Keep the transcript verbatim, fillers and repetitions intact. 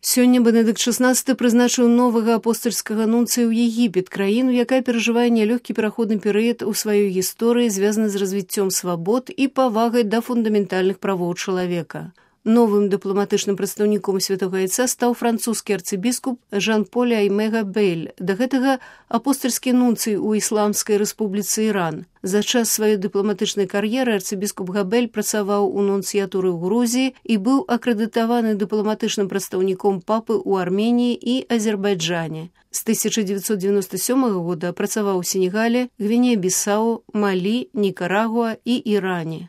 Сёння Бенедыкт шаснаццаты прызначыў новага апостальскага нунцыя ў Егіпет, краіну, якая перажывае нялёгкі пераходны перыяд у сваёй гісторыі, звязаны з развіццём свабод і павагай да фундаментальных правоў чалавека. Новым дыпламатычным прадстаўніком Святога Айца стаў французскі арцыбіскуп Жан-Поль Аймэ Габель, да гэтага апостальскі нунцый у Ісламскай рэспубліцы Іран. За час сваёй дыпламатычнай кар'еры арцыбіскуп Габель працаваў у нунцыятуры ў Грузіі і быў акрэдытаваны дыпламатычным прадстаўніком папы ў Арменіі і Азербайджане. З тысяча дзевяцьсот дзевяноста сёмага года працаваў у Сенегале, Гвінеі-Бісау, Малі, Нікарагуа і Іране.